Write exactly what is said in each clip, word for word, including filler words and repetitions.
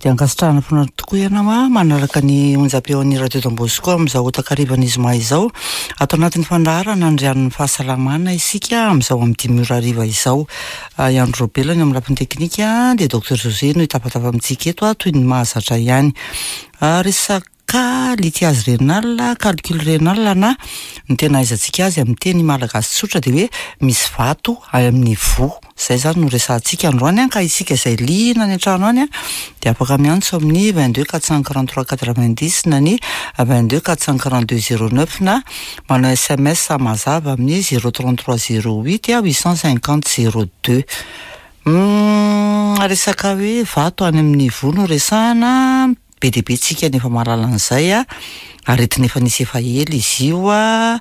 Dia ankasitrahana foana tokoa ianao a manaraka ny onjam-peon'ny Radio Don Bosco amin'izao takarivan'ny zoma izao. Ato anatin'ny fandaharana Andrianin'ny fahasalamana isika amin'izao amin'ny dimy ora hariva izao. I Andro Robela ny amin'ny lafiny teknika, dia Docteur José no hitafatafa amintsika eto toy ny mahazatra ihany. Resaka lithiase rénal, calcul rénal, na ny tena ahaizantsika azy amin'ny teny malagasy tsotra dia hoe misy vato amin'ny voa. Zay zany no resahantsika androany a ka isika izay liana any an-trano any a dia afaka miantso amin'ny vingt deux quatre cent quarante trois quatre vingt dix na ny vingt deux quatre cent quarante deux zéro neuf, na manao S M S mazava amin'ny zéro trente trois zéro huit a huit cent cinquante zéro deux. Resaka hoe vato any amin'ny voa no resahana. Be dia be tsika nefa mahalala an'izay a aretina efa nisy efa ela izy io a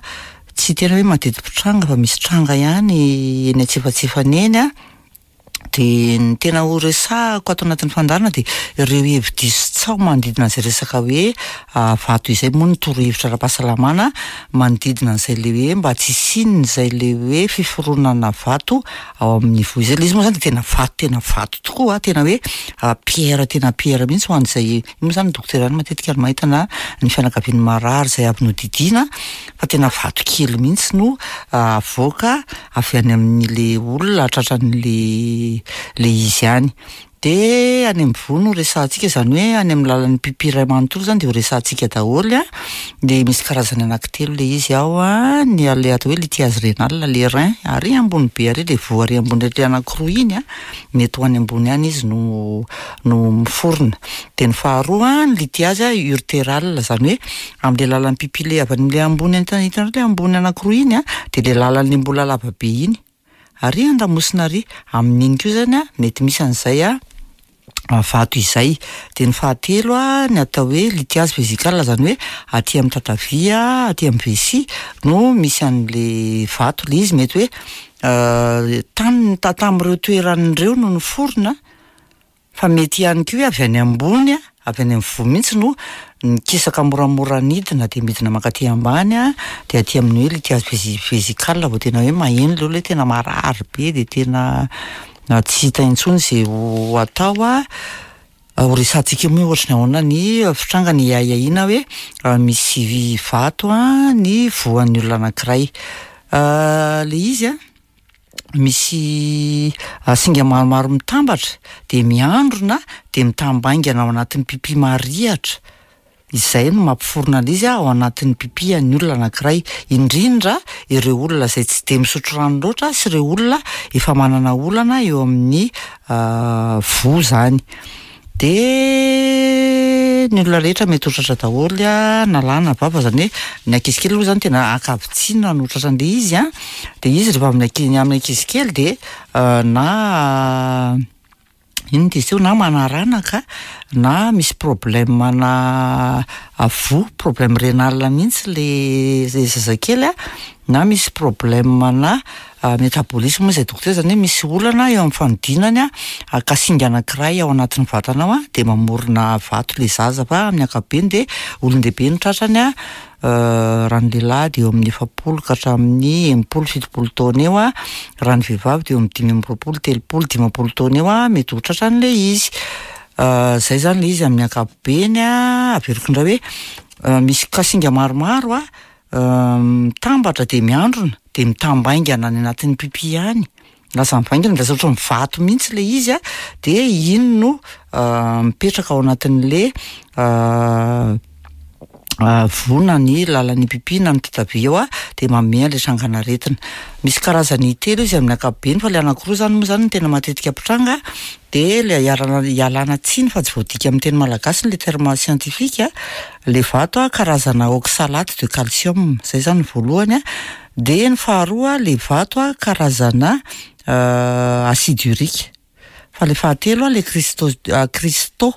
tsy tena hoe mateti-pitranga fa misy tranga ihany eny antsefatsefany eny a de ny tena ho resahako ato anatin'ny fandaharana de ireo hevi-diso tsaho manodidina an'izay resaka hoe vato izay moa, ny torohevitra ara-pahasalamana manodidina an'izay le hoe mba tsy hisian'izay zay le hoe fiforonana vato ao amin'ny voa izay. Le izy moa zany de tena vato, tena vato tokoa a tena hoe pierre, tena pierre mihitsy ho an'izay. Io moa zany dokotera ihany matetika no mahita na ny fianakavian'ny marary zay avy nodidiana, fa tena vato kely mihitsy no avoaka avy any amin'le olona tratran'le le izy any. De any amin'ny voa no resahantsika, zany hoe any amin'ny lalan'ny pipi iray manontolo zany de ho resahantsika daholo a de misy karazany anankitelo le izy ao a ny le atao hoe lithiase rénale, le rein ary ambony be ary, le voa ary ambony le anankiroa iny a mety ho any ambony any izy no no miforona. De ny faharoa, ny lithiase urétérale, zany hoe am'le lalan'ny pipi le avy an'le ambony, hitanareo le ambony anankiroa iny a de le lalan'le mbola lava be iny ary andamosina ary, amin'iny koa zany a mety misy an'izay a vato izay. De ny fahatelo a ny atao hoe lithiase vésicale, zany hoe aty amin'ny tatavia, aty amin'ny vessie no misy an'le vato. Le izy mety hoe tany tamin'ireo toeran'ireo no niforona, fa mety ihany koa hoe avy any ambony, a avy any amin'ny voa mihitsy no nikisaka moramora nidina, de midina mankaty ambany a de aty amin'ny hoe lithiase vési- vésicale vao tena hoe maheno le olona hoe tena marary be, de tena tsy hita intsony zay ho atao. a Ho resahantsika moa ohatry ny ahoana ny fitrangany iahiahiana hoe misy vato a ny voan'ny olona anankiray. Le izy a misy singa maromaro mitambatra de miandrona, de mitambaingana ao anatin'ny pipi marihatra, izay no mampiforona an'izy a ao anatin'ny pipi an'ny olona anankiray, indrindra ireo olona izay tsy de misotro rano loatra sy ireo olona efa manana olana eo amin'ny voa zany. De ny olona rehetra mety ho tratra daholo a na lahy na vavy, zany hoe ny ankizy kely aloha zany tena ankavitsiana no tratran'le izy a de izy rehefa amin'ny anki- amin'ny ankizy kely de na ino ty izy teo, na manaranaka na misy problème na voa, problème rénal mihitsy le le zazakely a na misy problème na métabolisme moa zay dokotera, zany hoe misy olana eo amin'ny fanodinany a ka singa anankiray ao anatin'ny vatana ao a de mamorona vato le zaza. Fa amin'ny ankapobeny de olon-dehibe no tratrany a raha ny lehilahy de eo amin'ny efapolo ka hatramin'ny enimpolo fitopolo taona eo a raha ny vehivavy de eo amin'ny dimy amby roapolo, telopolo, dimampolo taona eo a mety ho tratran'le izy. Zay zany le izy amin'ny ankapobeny a averiko indray hoe misy kasinga maromaro a mitambatra, de miandrona, de mitambaingana any anatin'ny pipi any, lasa mivaingana, lasa ohatry ny vato mihitsy le izy a de iny no mipetraka ao anatin'le voa na ny lalan'ny pipi na ny tatavia eo a de manome an'le trangan'aretina. Misy karazany telo izy amin'ny ankapobeny, fa le anankiroa zany moa zany no tena matetika mpitranga. De le ialana ialana tsiny fa tsy voadika amin'ny teny malagasy le terme scientifique. Le vato a karazana oxalate de calcium, zay zany ny voalohany a de ny faharoa, le vato a karazana acide urique, fa le fahatelo a le cristaux cristaux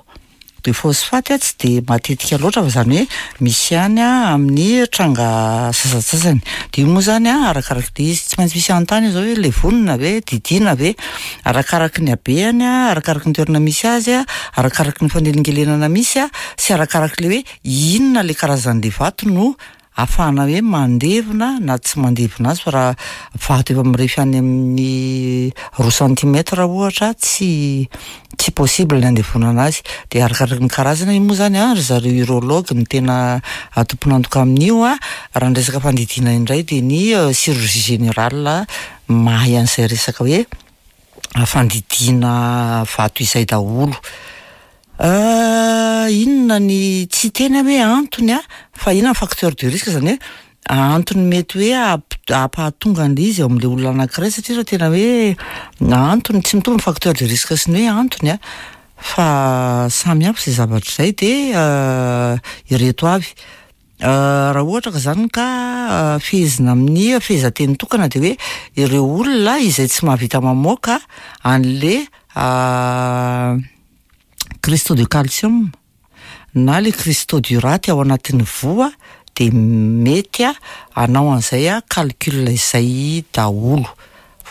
de phosphate a tsy de matetika loatra, fa zany hoe misy ihany a amin'ny tranga sasantsasany. De io moa zany a arakaraky le izy, tsy maintsy misy anontany zao hoe le vonona ve, didiana ve, arakaraky ny habeany a arakaraky ny toerana misy azy a arakaraky ny fanelingelenana misy a sy arakaraky le hoe inona le karazan'le vato no ahafahana hoe mandevina na tsy mandevina azy, fa raha vato efa mirefy any amin'ny roa centimètre ohatra, tsy tsy possible ny andevonana azy. De arakaraky ny karazana io moa zany a, ry zareo urologue no tena tompon'antoka amin'io a. Raha ny resaka fandidiana indray de ny chirurgie générale mahay an'izay resaka hoe fandidiana vato izay daholo. Inona ny tsy tena hoe antony a, fa inona ny facteur de risque, zany hoe antony mety hoe amp- ampahatonga an'le izy eo am'le olona anankiray, satria raha tena hoe antony, tsy mitovy ny facteur de risque sy ny hoe antony a, fa samy hafa zay zavatra zay. De ireto avy, raha ohatra ka zany ka fehezina amin'ny fehezanteny tokana, de hoe ireo olona izay tsy mahavita mamoaka an'le cristaux de calcium na le cristaux d'urate ao anatin'ny voa, de mety a hanao an'izay a calcul izay daholo.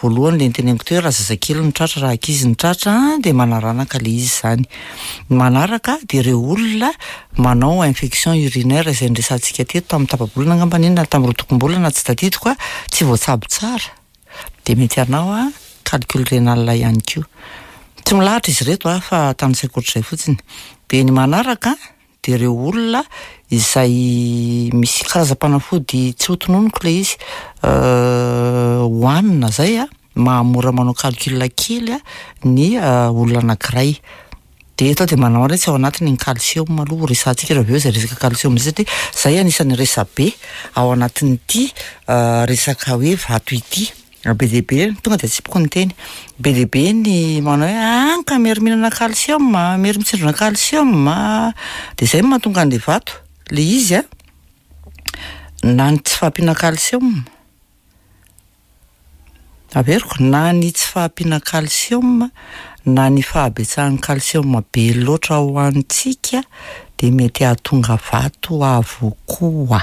Voalohany le niteneniko teo hoe raha zazakely no tratra, raha ankizy no tratra, de manaranaka le izy zany. Ny manaraka de ireo olona manao infection urinaire izay niresahantsika teto tamin'ny tapa-bolana angambany iny na tamin'ny roa tokom-bolana, tsy tadidiko a, tsy voatsabo tsara de mety hanao a calcul rénal ihany koa. Tsy milahatra izy ireto a, fa tanisaiko ohatr'izay fotsiny. De ny manaraka de ireo olona izay misy karazam-panafody tsy ho tononiko le izy hohanina zay a mahamora manao calcul kely a ny olona anankiray. De eto de manao hoe tsy ao anatiny ny calcium aloha, resahantsika raha avy eo zay resaka calcium zay, satria zay anisan'ny resabe ao anatin'ity resaka hoe vato ity. Be dia be, tonga de atsipiko ny teny, be dia be ny manao hoe ah ka mery mihinana calcium, mery mitsindrona calcium, de zay no mahatonga an'le vato. Le izy a, na ny tsy fahampiana calcium, averiko, na ny tsy fahampiana calcium na ny fahabetsahan'ny calcium be loatra ho antsika de mety hahatonga vato avokoa.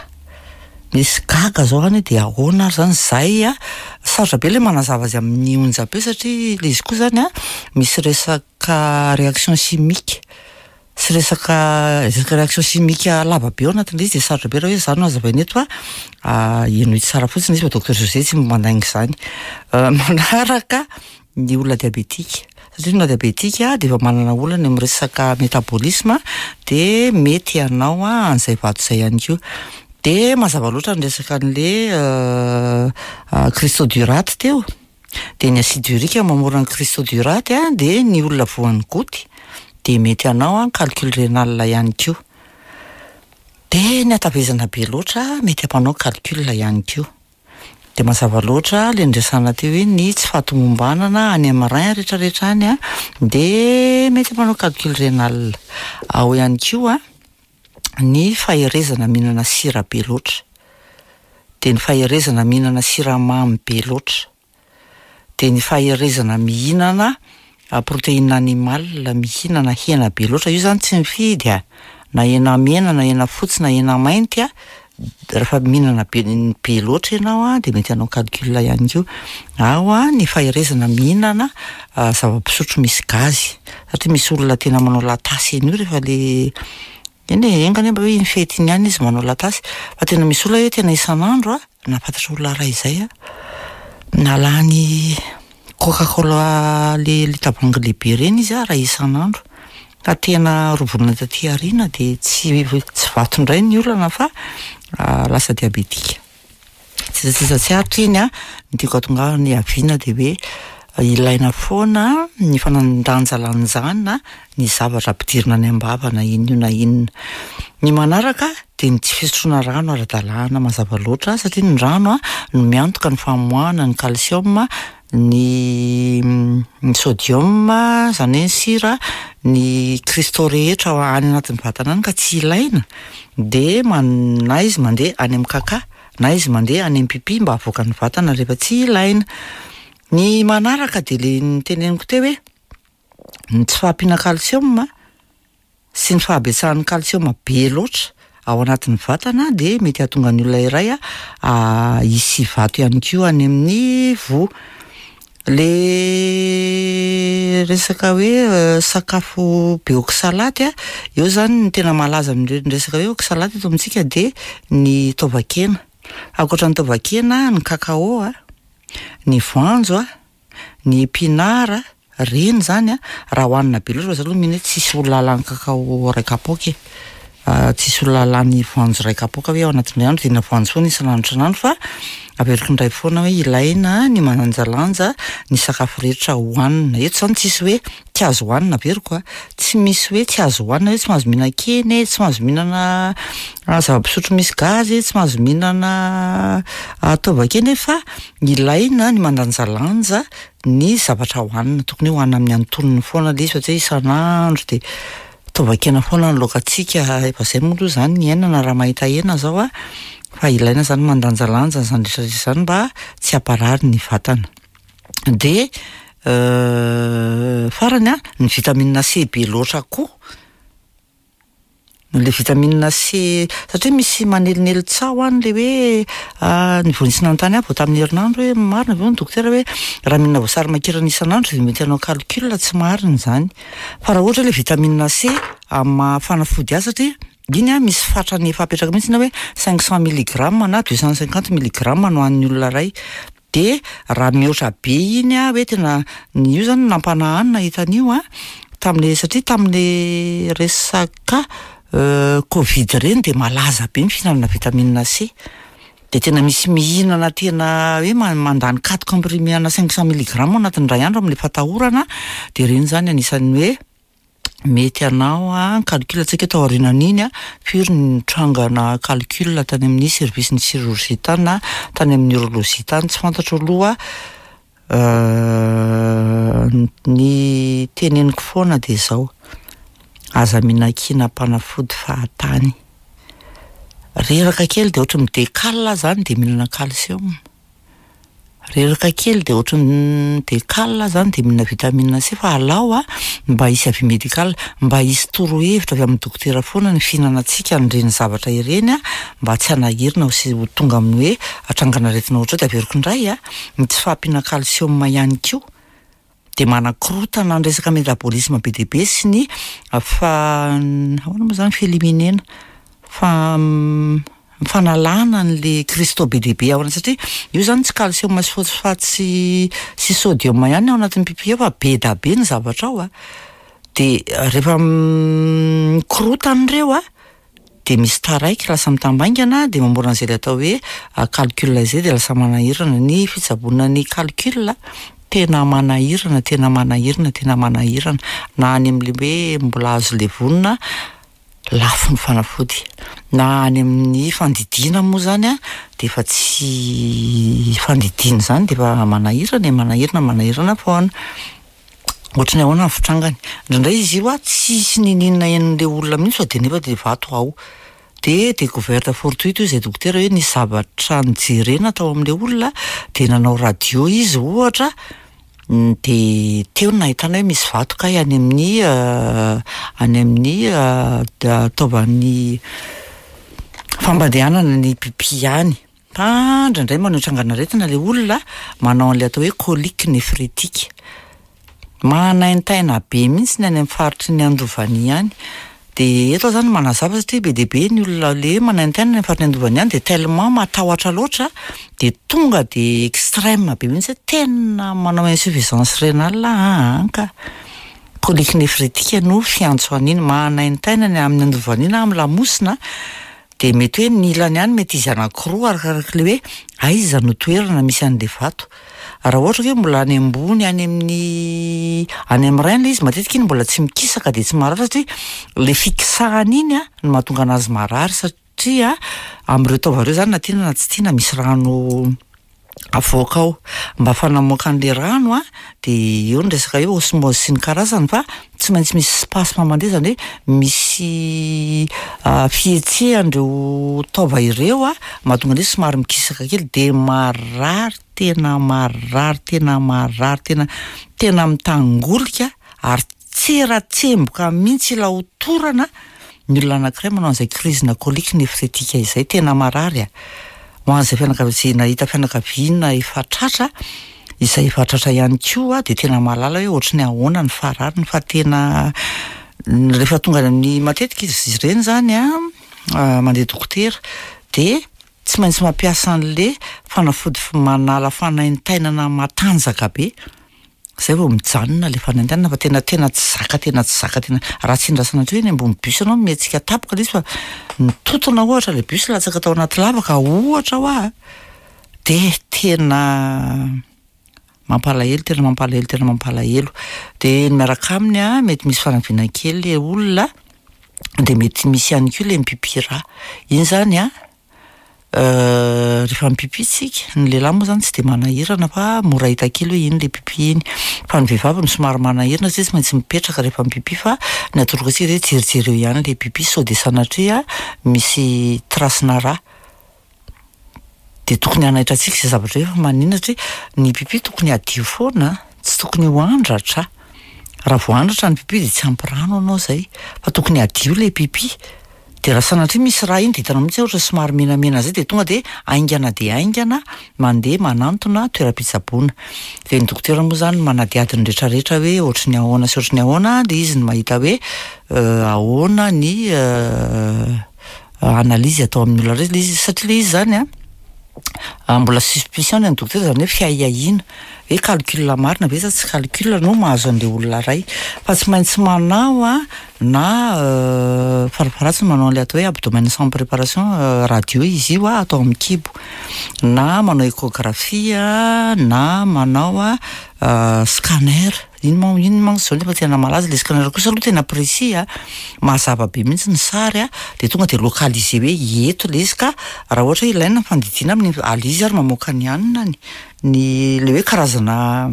Misy gaga zao any hoe de ahoana ary zany zay a, sarotra be le manazava azy amin'ny onjam-peo, satria le izy koa zany a misy resaka réaction chimique sy resaka resaka réaction chimique lava be ao anatin'le izy, de sarotra be raha hoe zany no hazavaina eto a, henoy tsara fotsiny izy fa docteur José tsy mandainga zany. Manaraka ny olona diabétique, satria ny olona diabétique de efa manana olana amin'ny resaka métabolisme, de mety hanao a an'izay vato zay ihany koa. De mazava loatra ny resaka an'le cristaux d'urate teo, de ny acide urique mamorona ny cristaux d'urate a, de ny olona voan'ny goutte de mety hanao a calcul rénal ihany koa. De ny hatavezana be loatra mety hampanao calcul ihany koa. De mazava loatra le niresahana teo hoe ny tsy fahatomombanana any amin'ny rein rehetrarehetra any a de mety hampanao calcul rénal. Ao ihany koa ny faherezana mihinana sira be loatra, de ny faherezana mihinana siramamy be loatra, de ny faherezana mihinana protéine animale, mihinana hena be loatra. Io zany tsy mifidy a, na hena mena na hena fotsy na hena mainty a, rehefa mihinana be be loatra ianao a de mety hanao calcul ihany koa. Ao a ny faherezana mihinana zava-pisotro misy gazy, satria misy olona tena manao latasy an'io rehefa le eny e, enga anie mba hoe iny fety iny ihany izy manao latasy, fa tena misy olona hoe tena isan'andro a, nahafantatra olona ray izay a, nalany Coca-Cola le le tavoahangy lehibe reny izy a raha isan'andro, ka tena roa volana taty aoriana de tsy tsy vato indray ny olana fa lasa diabétique. Tsisasisa tsy aritra iny a, ny tiako hahatongavana ny haviana de hoe ilaina foana ny fanandanjalanjana ny zavatra ampidirina any am-bava na inona io na inona. Ny manaraka de ny tsy fisotroana rano ara-dalàna mazava loatra, satria ny rano a no miantoka ny famoahana ny calcium, ny ny sodium, zany hoe ny sira, ny cristaux rehetra ao any anatin'ny vatana any ka tsy ilaina, de man- na izy mandeha any amin'ny kaka na izy mandeha any amin'ny pipi mba havoaka ny vatana rehefa tsy ilaina. Ny manaraka de le niteneniko teo hoe ny tsy fahampiana calcium sy ny fahabetsahan'ny calcium be loatra ao anatin'ny vatana de mety hahatonga ny olona iray a hisy vato ihany koa any amin'ny voa. Le resaka hoe sakafo be oxalate a, eo zany ny tena malaza amin'ireny resaka hoe oxalate eto amintsika de ny taovan-kena. Ankoatra ny taovan-kena, ny kakao a, ny voanjo a, ny épinard, reny zany a raha hohanina be loatra, fa za aloha mino hoe tsisy olona lany kakao ray kapoaka e, tsisy olona lany voanjo ray kapoaka hoe ao anatin'ny andro de hihinana voanjo foana isan'andro isan'andro, fa averiko indray foana hoe ilaina ny mandanjalanja ny sakafo rehetra hohanina. Eto zany tsisy hoe tsy azo hohanina, averiko a, tsy misy hoe tsy azo hohanina hoe tsy mahazo mihinan-kena e, tsy mahazo mihinana zava-pisotro misy gazy e, tsy mahazo mihinana taovan-kena e, fa ilaina ny mandanjalanja ny zavatra hohanina. Tokony hoe hohanina amin'ny antonony foana le izy fa tsy hoe isan'andro de taovan-kena foana ny laokantsika. Efa zay moa aloha zany ny iainana raha mahita hena zao a, fa ilaina zany mandanjalanja an'izany rehetrarehetra zany mba tsy hamparary ny vatana. De farany a, ny vitamine C be loatra koa, le vitamine C satria misy manelinely tsaho any le hoe ny vao nisy nanontany ahy vao tamin'ny herinandro hoe marina ve hono dokotera hoe raha mihinana voasary makirana isan'andro de mety hanao calcul? Tsy marina zany, fa raha ohatra hoe le vitamine C amin'ny maha fanafody azy, satria iny a misy fatrany efa apetraka mihitsy na hoe cinq cent milligramme na deux cent cinquante milligramme no hohanin'ny olona ray, de raha mihoatra be iny a hoe tena io zany nampanahy ahy nahita an'io a tam'le, satria tam'le resaka Covid reny de malaza be ny fihinanana vitamine C, de tena misy mihinana tena hoe mandany quatre comprimés ana cinq cent milligramme ao anatin'ny ray andro am'le fatahorana, de reny zany anisan'ny hoe mety hanao a calcul tsika tao aorianan'iny a, firy ny trangana calcul tany amin'ny service ny chirurgie tany na tany amin'ny neurologie tany, tsy fantatro aloha. Ny teneniko foana de zao: aza mihinan-kinam-panafody fahatany. Reraka kely de ohatry midekal zany de mihinana calcium, reraka kely de ohatry midekal zany de mihinana vitamine C, fa alao a mba hisy avis médical, mba hisy torohevitra avy amin'ny dokotera foana ny fihinanantsika an'ireny zavatra ireny a, mba tsy hanahirana sy ho tonga amin'ny hoe atrangan'aretina ohatra zao. De averiko indray a, ny tsy fahampiana calcium ihany koa de manakorotana ny resaka métabolisme be dia be sy ny fa ahoana moa zany fieliminena fa fanalana an'le cristaux be dia be ao anaty, satria io zany tsy calcium sy phosphate sy sy sodium ihany ao anatin'ny pipi ao fa be da be ny zavatra ao a, de rehefa mikorotana ireo a de misy taraiky lasa mitambaingana de mamorona an'izay le atao hoe calcul zay, de lasa manahirana ny fitsaboana ny calcul, tena manahirana, tena manahirana, tena manahirana, na any amin'le hoe mbola azo levonina lafo ny fanafody, na any amin'ny fandidiana moa zany a de efa tsy fandidiana zany de efa manahirana e, manahirana, manahirana foana. Ohatry ny ahoana ny fitrangany indraindray izy io a, tsisy nininona henon'le olona mihitsy fa de nefa de vato ao, de découverte fortuite io zay dokotera hoe nisy zavatra nijerena tao amin'le olona de nanao radio izy ohatra, de teo no nahitana hoe misy vato kay any amin'ny any amin'ny taovan'ny fampandehanana ny pipi any. Fa indraindray manao trangan'aretina le olona manao an'le atao hoe colique néphrétique, manaintaina be mihitsy ny any amin'ny faritry ny andovany any. De eto aho zany manazava satria be dia be ny olona le hoe manaintaina ny faritry ny andovany any, de tellement matahotra loatra de tonga de extrême be mihitsy hoe tena manao insuffisance rénale aa ka colique néphrétique no fiantso an'iny, manaintaina ny amin'ny andovany iny amin'ny lamosina, de mety hoe ny ilany ihany mety izy anankiroa arakaraka le hoe aiza no toerana misy an'le vato. Raha ohatra hoe mbola any ambony any amin'ny any amin'ny rein le izy, matetika iny mbola tsy mikisaka de tsy marary, satria le fikisahana iny a no mahatonga anazy marary, satria amin'ireo taova ireo zany na tiana na tsy tiana misy rano avoaka ao mba fanamoaka an'le rano a, de eo ny resaka hoe osmose sy ny karazany, fa tsy maintsy misy spasme mandeha, zany hoe misy fihetsehan'ireo taova ireo a mahatonga an'izy somary mikisaka kely, de marary, tena marary, tena marary, tena tena mitangolika ary tseratsemboka mihitsy ila ho torana ny olona anankiray manao an'izay crise na colique néphrétique izay, tena marary a. Ho an'izay fianakaviana, zay nahita fianakaviana efa tratra, izay efa tratra ihany koa de tena mahalala hoe ohatry ny ahoana ny farariny, fa tena rehefa tonga any amin'ny matetika izy ireny zany a mandeha dokotera de tsy maintsy mampiasa an'le fanafody manala fanaintainana matanjaka be zay vao mijanona le fanaintainana, fa tena tena tsy zaka, tena tsy zaka, tena raha tsy indrasana hatreo eny ambony bus anao mihetsika tapoka le izy fa nitotona ohatra le bus latsaka tao anaty lavaka ohatra hoa, de tena mampalahelo, tena mampalahelo, tena mampalahelo. De ny miaraka aminy a mety misy fanaviana kely le olona, de mety misy ihany koa le mipipi rà. Iny zany a rehefa mipipi tsika, ny lehilahy moa zany tsy de manahirana fa mora hita kely hoe iny le pipi iny, fa ny vehivavy no somary manahirana satria tsy maintsy mipetraka rehefa mipipi, fa ny atoroko antsika de jerijereo ihany le pipi sao de sanatria misy trace-na rà, de tokony hanaitra antsika zay zavatra hoe fa maninona, satria ny pipi tokony hadio foana, tsy tokony ho andratra, raha vao andratra ny pipi de tsy ampy rano anao zay, fa tokony hadio le pipi, de raha sanatria misy rà iny de hitanao mihitsy hoe ohatra somary menamena zay de tonga de haingana de haingana mandeha manantona toeram-pitsaboana. De ny dokotera moa zany manadihady ny rehetrarehetra hoe ohatry ny ahoana sy ohatry ny ahoana, de izy no mahita hoe ahoana ny analyse atao amin'ny olona rey le izy, satria le izy zany a mbola suspicion ny an'ny dokotera, zany hoe fiahiahiana hoe calcul marina ve sa tsy calcul no mahazo an'le olona ray, fa tsy maintsy manao a na farafaharatsiny manao an'le atao hoe abdomen sans préparation radio izy io a atao amin'ny kibo, na manao échographie na manao a scanner, iny moa iny manko zao nefa tena malaza le scanner kosa aloha tena précis a, mazava be mihitsy ny sary a, de tonga de localisé hoe eto le izy ka raha ohatra hoe ilaina ny fandidiana amin'ny ale izy ary mamoaka ny haninany, ny le hoe karazana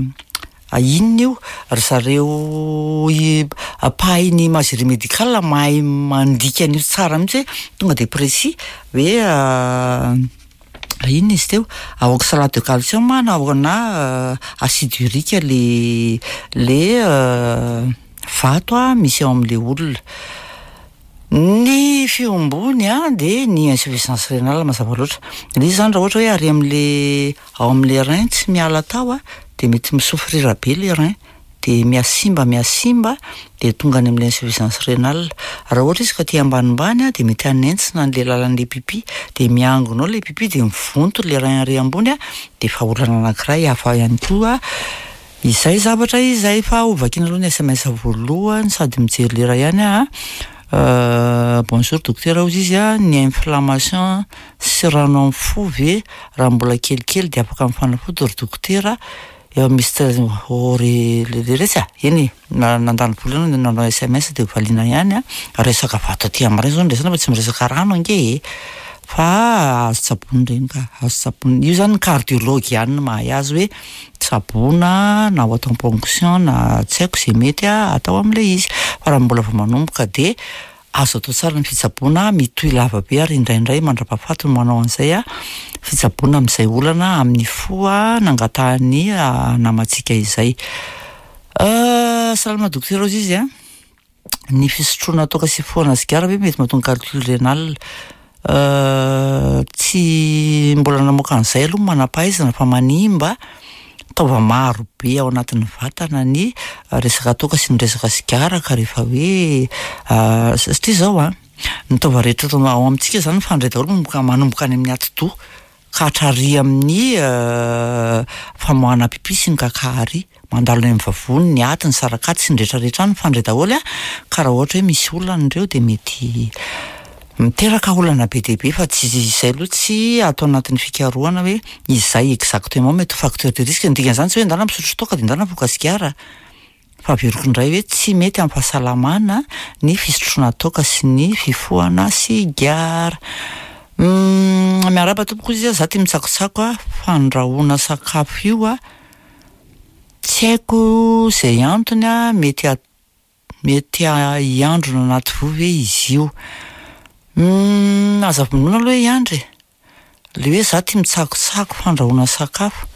inona io, ry zareo i- mpahay ny imagerie médicale mahay mandika an'io tsara mihitsy hoe tonga de précis hoe inona izy teo, oxalate de calcium na na acide urique le le vato a misy ao am'le olona. Ny fiombony a de ny insuffisance rénale mazava loatra, le izy zany raha ohatra hoe ary am'le ao am'le rein tsy miala tao a de mety misouffrir be le rein, de mihasimba mihasimba de tonga any am'le insuffisance rénale. Raha ohatra izy ka aty ambanimbany a de mety hanentsina an'le lalan'le pipi, de miangona ao le pipi de mivonto le rein ary ambony a, de efa olana anankiray hafa ihany koa izay zavatra izay. Fa hovakiana aloha ny S M S voalohany sady mijery lera ihany a. Bonjour docteur, hozy izy a, ny inflammation sy rano amin'ny fo ve raha mbola kelikely de afaka mifanafody ry dokotera? Eo misy oh re le retsy a, eny e, na nandany vola ianao nanao S M S de valiana ihany a, resaka vato aty amin'ny rein zao no resahana fa tsy miresaka rano ange e, fa azo tsaboina ireny ka, azo tsaboina, io zany ny cardiologue ihany no mahay azy hoe tsaboina na ho atao ponction na tsy haiko zay mety a atao am'le izy, fa raha mbola vao manomboka de azo atao tsara ny fitsaboana, mitohy lava be ary indraindray mandra-pahafaty no manao an'izay a fitsaboana amin'izay olana amin'ny fo a nangatahany namantsika izay. Salama dokotera, hozy izy a, ny fisotroana toaka sy fifohana sigara ve mety mahatonga calcul rénal? Tsy mbola namoaka an'izay aloha manam-pahaizana fa manimba taova maro be ao anatin'ny vatana ny resaka toaka sy ny resaka sigara, ka rehefa hoe satria zao a ny taova rehetra eto ao amintsika zany mifandray daholo manomboka manomboka any amin'ny atidoha ka hatrary amin'ny famoahana pipi sy ny kaka ary, mandalo any amin'ny vavony, ny aty, ny sarakaty sy ny rehetrarehetra any mifandray daholo a, ka raha ohatra hoe misy olana ireo de mety miteraka olana be dia be, fa tsy izay aloha tsy atao anatin'ny fikarohana hoe izay exactement mety ho facteur de risque. Ny dikan'izany tsy hoe ndana misotro toaka de ndana mifoka sigara, fa averiko indray hoe tsy mety amin'ny fahasalamana ny fisotroana toaka sy ny fifohana sigara. Miarahaba tompoko izy a, za tia mitsakotsako a, fandrahoana sakafo io a tsy haiko zay antony a, mety a- mety hiandrona anaty voa ve izy io? Aza vonoina aloha hiandry e, le hoe za tia mitsakotsako fandrahoana sakafo,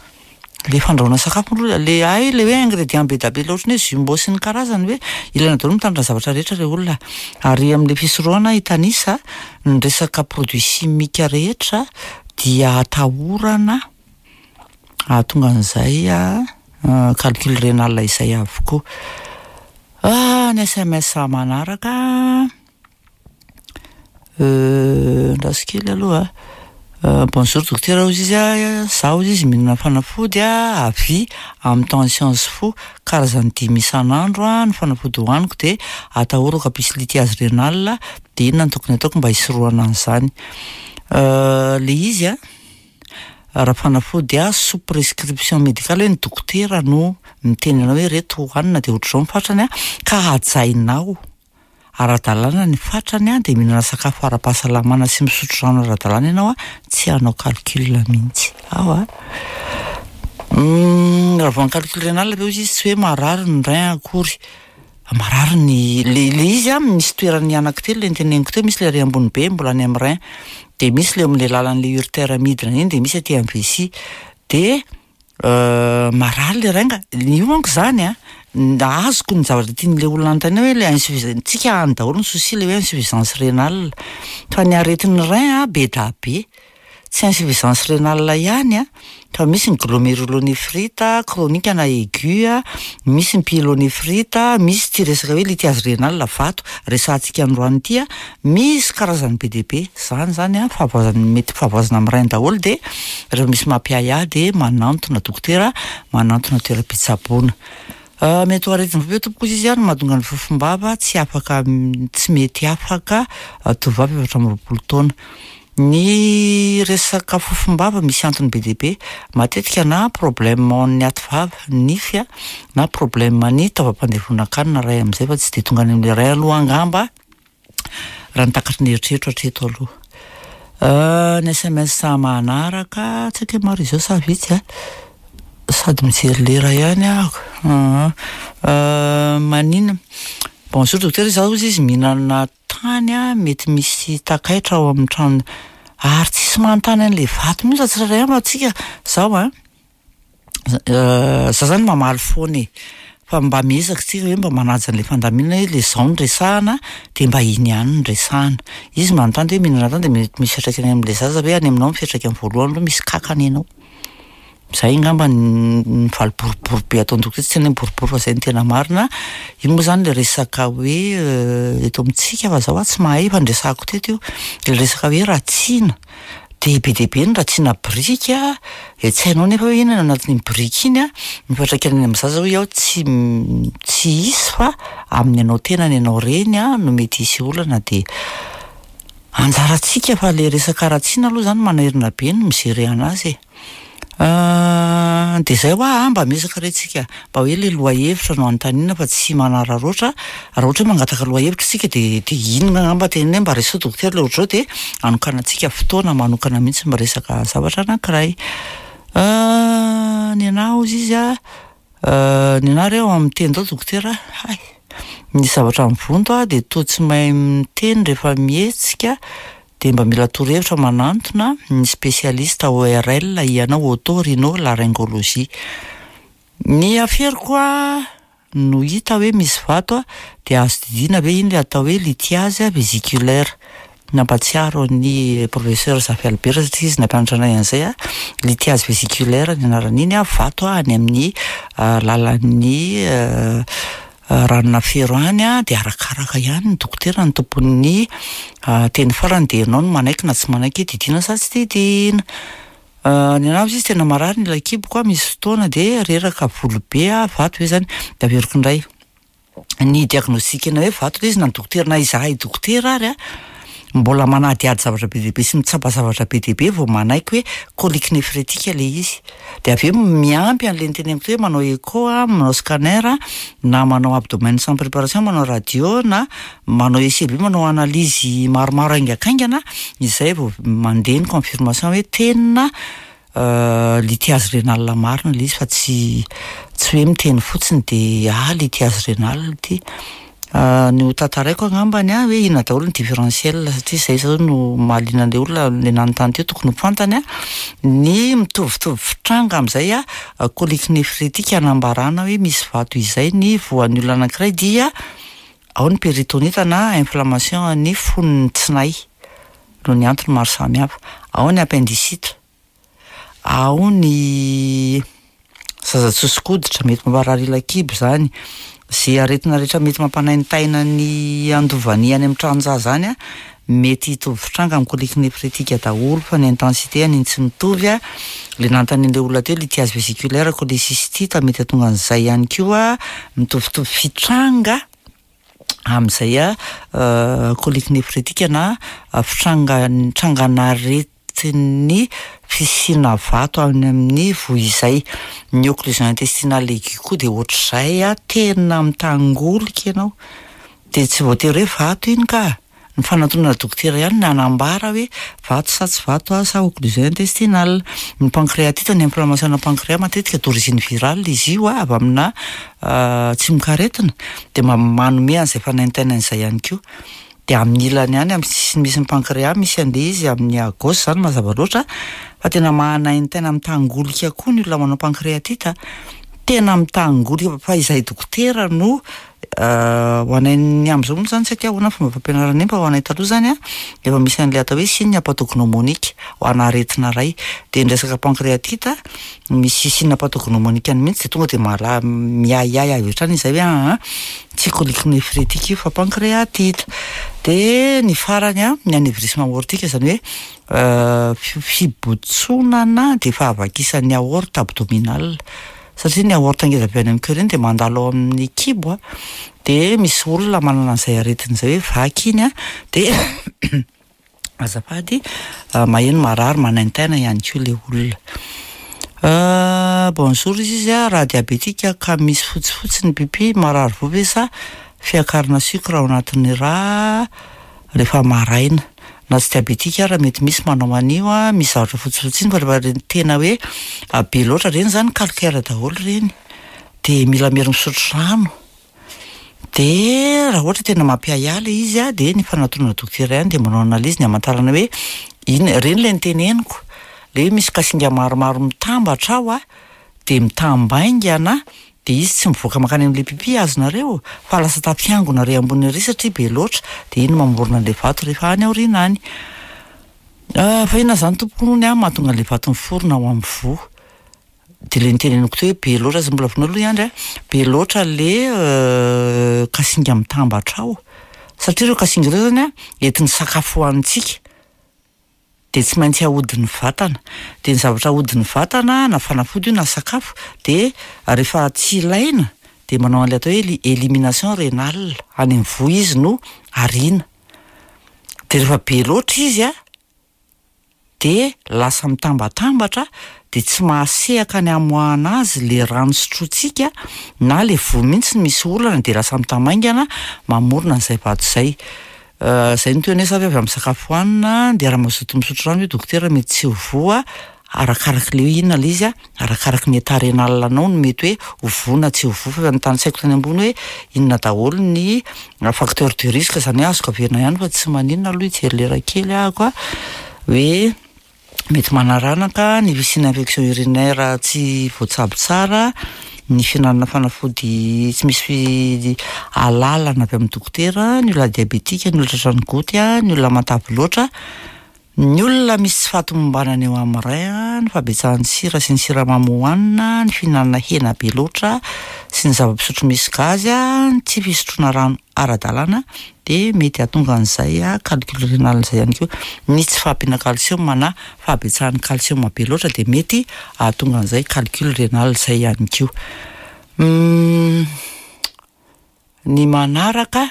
le fandrahoana sakafo aloha le hay le hoe ingrédient be da be le ohatran'ny hoe jumbo sy ny karazany hoe ilaina daholo mitandrina zavatra rehetra re olona, ary amin'le fisorohana hitanisa ny resaka produit chimique rehetra dia atahorana Ahatonga an'izay calcul rénal izay avokoa. Ny S M S manaraka, andraso kely aloha. Bonjour docteur, hozy izy a, zaho hozy izy mihinana fanafody a avy amin'ny tension sy fo, karazany dimy isan'andro a ny fanafody hohaniko, de atahorako hampisy lithiase rénale, de inona no tokony ataoko mba hisorohana an'izany? Le izy a, raha fanafody a sous prescription médicale, hoe ny dokotera no miteny anao hoe reto hohanina de ohatr'izao ny fatrany a, ka hajainao ara-dalàna ny fatrany a, de mihinana sakafo ara-pahasalamana sy misotro rano ara-dalàna ianao a, tsy hanao calcul mihitsy ao a. Raha vao ny calcul rénal ve, hozy izy, tsy hoe marary ny rein akory, marary ny le le izy a, misy toerany anankitelo le niteneniko teo: misy le ary ambony be mbola any amin'ny rein, de misy le amin'le lalan'le uretère midina iny, de misy aty amin'ny vessie, de marary le rein ka io manko zany a. Azoko ny zavatra tian'le olona anontaniana hoe le insuffisance tsika any daholo ny souci, le hoe insuffisance rénale, fa ny aretin'ny rein a be da be, tsy insuffisance rénale ihany a, fa misy ny glomérulonéphrite chronique na aigu a, misy ny pyélonéphrite, misy ty resaka hoe lithiase rénale, vato resahantsika androany ity a, misy karazany be dia be zany zany a, fahavoazana, mety fahavoazana amin'ny rein daholo. De rehefa misy mampiahiahy de manantona dokotera, manantona toeram-pitsaboana. Mety ho aretina ve tompoko, izy izy a, no mahatonga ny fofombava tsy afaka, tsy mety afaka, tovovavy efatra amby roapolo taona? Ny resaka fofombava misy antony be dia be matetika, na problème ny aty vava, nify a, na problème ny taovam-pandevonan-kanina ray amin'izay, fa tsy de tonga any amin'le rein aloha angamba, raha ny takatry ny eritreritro hatreto aloha. Ny S M S manaraka, tsy haiko hoe maro izy eo sa vitsy a, sady mijery lera ihany aho. Maninona, bonjour docteur, zaho, izy izy, mihinana tany a, mety misy takaitra ao amin'ny trano, ary tsisy manontany an'le vato mihitsy tsirairay ihany fa tsika zao a, za zany mamaly foana e, fa mba miezaka tsika hoe mba manaja an'le fandaminana, hoe le zao no resahana de mba iny ihany no resahana. Izy manontany hoe mihinana tany de mety misy fiantraikany amin'le zaza ve any aminao? Ny fiantraikany voalohany aloha, misy kakana ianao zay angamba ny valy boribory be ataony dokotera, tsy tena hoe boribory fa zay no tena marina. Io moa zany le resaka hoe eto amintsika, fa zaho a tsy mahay, fa ndresahako teto io le resaka hoe ratsiana, de be dia be ny ratsiana brika, de tsy hainao nefa hoe inona anatin'iny brika iny a, ny fiantraikany any amin'ny zaza hoy aho tsy tsy hisy, fa amin'ny anao tenany ianao reny a no mety hisy olana, de anjaratsika. Fa le resaka ratsiana aloha zany manairina be ny mi-gérer anazy e. De zay hoa, mba miezaka re tsika mba hoe le loha hevitra no anontaniana fa tsy manararaotra. Raha ohatra hoe mangataka loha hevitra tsika, de de inona angamba teneny hoe mba resaho dokotera le ohatr'izao, de anokanantsika fotoana manokana mihitsy miresaka zavatra anankiray. Ny anahy, hozy izy a, ny anahy reo amin'ny tenda ao dokotera, hay misy zavatra mivonto a, de toa tsy mahay miteny rehefa mihetsika, de mba mila torohevitra manantona ny spécialiste O R L ianao, oto-rhino laryngologie. Ny aferiko a no hita hoe misy vato a, de azo didiana ve iny le atao hoe lithiase vésiculaire? Nampatsiaro ny professeur Zafy Albert satria izy nampianatra anay an'izay a. Lithiase vésiculaire ny anaran'iny a, vato a any amin'ny lalan'ny ranonafero any a, de arakaraka ihany ny dokotera ny tompon'ny teny farany, de ianao no manaiky na tsy manaiky didiana sa tsy didiana. Ny anahy, izy, tena marary ny ila kiboko a, misy fotoana de reraka volo be a, vato ve zany? De averiko indray ny diagnostic na hoe vato le izy, na ny dokotera na izahay dokotera ary a mbola manadihady zavatra be dia be sy mitsapa zavatra be dia be vao manaiky hoe colique néphrétique le izy, de avy eo miampy an'le niteneniko teo hoe manao écho a, manao scanner, na manao abdomen sans préparation, manao radio, na manao E C B, manao analyse maromaro haingakaingana izay vao mandeha ny confirmation hoe tena lithiase rénale marina le izy, fa tsy tsy hoe miteny fotsiny de ah, lithiase rénale ty. Ny ho tantaraiko angambany a hoe inona daholo ny différentiel, satria zay zao no mahaliana an'le olona le nanontany teo, tokony ho fantany a ny mitovitovy fitranga am'izay a colique néphrétique anambarana hoe misy vato izay ny voan'ny olona anankiray, dia ao ny péritonite na inflammation ny fonony tsinay noho ny antony maro samihafa, ao ny appendicite. Ao ny zaza tsoso-koditra, mety mamparary ila-kibo zany. Ze aretina rehetra mety mampanaintaina ny andovany any amin'ny tranon-jaza any a, mety hitovy fitranga amin'ny colique néphrétique daholo, fa ny intensité an'iny tsy mitovy a. Le nanontanian'le olona teo, lithiase vésiculaire, cholécystite, mety hahatonga an'izay ihany koa, mitovitovy fitranga amin'izay a colique néphrétique na fitranga trangan'aretin'ny fisiana vato any amin'ny voa izay. Ny occlusion intestinale aiguë koa de ohatr'izay a, tena mitangolika ianao, de tsy voatery hoe vato iny ka, ny fanantonana dokotera ihany no hanambara hoe vato sa tsy vato a, sa occlusion intestinale. Ny pancréatite, ny inflammation na pancréas matetika d'origine virale izy io a, avy amina tsimokaretina, de ma- manome an'izay fanaintainana izay ihany koa. De amin'ny ilany ihany, amin'ny sisiny misy ny pancréas misy an'le izy amin'ny à gauche zany mazava loatra, fa tena manaintaina mitangolika koa ny olona manao pancréatite, tena mitangolika, fa izay dokotera no ho anay amin'izao moa zany tsy haiko ahoana fomba fampianarana iny, fa ho anay taloha zany a efa misy an'le atao hoe signe pathognomonique ho ana aretina iray, de ny resaka pancréatite misy signe pathognomonique mihitsy, de tonga de mahala miahiahy avy hatrany izay hoe aa tsy colique néphrétique io fa pancréatite. De ny farany a, ny anévrisme aortique, zany hoe fibotsonana de fahavakisan'ny aorte abdominale, satria ny aorte ngeza be any amin'ny cœur iny de mandalo ao amin'ny kibo a, de misy olona manana an'izay aretina izay hoe vaky iny a, de azafady, maheno marary manaintaina ihany koa le olona. Bonjour izy izy a, raha diabetika ka misy fotsifotsy ny pipi, marary voa ve sa fiakarana sucre ao anatin'ny rà rehefa maraina? Na tsy diabetika ara mety misy manao an'io a, misy zavatra fotsifotsy iny, fa rehefa reny tena hoe be loatra reny zany calcaire daholo reny, de mila mery misotro rano. De raha ohatra tena mampiahiahy le izy a, de ny fanantonana dokotera ihany de manao analyse ny hamantarana hoe iny reny le niteneniko, le hoe misy kasinga maromaro mitambatra ao a, de mitambaingana, de izy tsy mivoaka mankany amin'le pipi azonareo, fa lasa tafiangona re ambony ary satria be loatra, de iny mamorona an'le vato rehefa any aoriana any. Fa inona zany tompoko hono a mahatonga an'le vato miforona ao amin'ny voa? De le niteneniko teo hoe be loatra, tsy mbola vonoina aloha Andry a, be loatra le kasinga mitambatra ao, satria ireo kasinga ireo zany a entin'ny sakafo hohanintsika, de tsy maintsy ahodin'ny vatana, de ny zavatra ahodin'ny vatana na fanafody io na sakafo, de rehefa tsy ilaina de manao an'le atao hoe élimination rénale, any amin'ny voa izy no ariana, de rehefa be loatra izy a de lasa mitambatambatra, de tsy mahasehaka ny amoahana azy le rano sotrointsika na le voa mihitsy misy olana, de lasa mitamaingana mamorona an'izay vato izay. Zay no teny hoe sa ve avy amin'ny sakafo hohanina, de raha mazoto misotro rano hoe dokotera mety tsy ho voa, arakaraky le hoe inona le izy a, arakaraky ny état rénal anao no mety hoe ho voa na tsy ho voa, fa efa notanisaiko tany ambony hoe inona daholo ny facteur de risque, zany hoe azoko averina ihany fa tsy maninona aloha hijery lera kely ahako a, hoe mety manaranaka ny fisiana infection urinaire tsy voatsabo tsara, ny fihinanana fanafody tsy misy alalana avy amin'ny dokotera, ny olona diabetika, ny olona tratran'ny goty a, ny olona matavy loatra, ny olona misy tsy fahatomombanana eo amin'ny rein, ny fahabetsahan'ny sira sy ny siramamy hohanina, ny fihinanana hena be loatra sy ny zava-pisotro misy gazy a, ny tsy fisotroana rano ara-dalàna, de mety hahatonga an'izay a calcul rénal izay ihany koa. Ny tsy fahampiana calcium na fahabetsahan'ny calcium be loatra de mety hahatonga an'izay calcul rénal izay ihany koa. Ny manaraka,